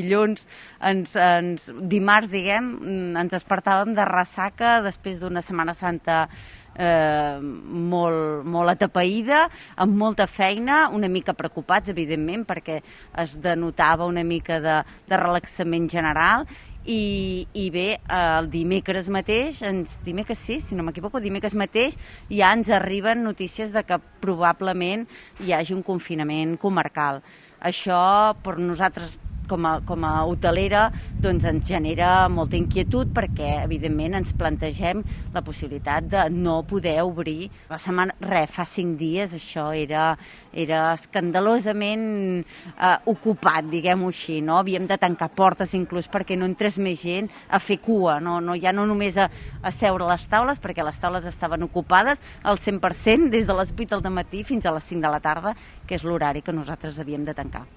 Dilluns, dimarts, diguem, ens despertàvem de ressaca després d'una Setmana Santa molt atapeïda, amb molta feina, una mica preocupats, evidentment, perquè es denotava una mica de relaxament general. I bé, el dimecres mateix, dimecres sí, si no m'equivoco, dimecres mateix ja ens arriben notícies de que probablement hi hagi un confinament comarcal. Això per nosaltres com a hotelera doncs ens genera molta inquietud perquè evidentment ens plantegem la possibilitat de no poder obrir la setmana. Fa 5 dies això era escandalosament ocupat, diguem-ho així, no? Havíem de tancar portes inclús perquè no entrés més gent a fer cua, ja no només a seure a les taules, perquè les taules estaven ocupades al 100% des de les 8 del matí fins a les 5 de la tarda, que és l'horari que nosaltres havíem de tancar.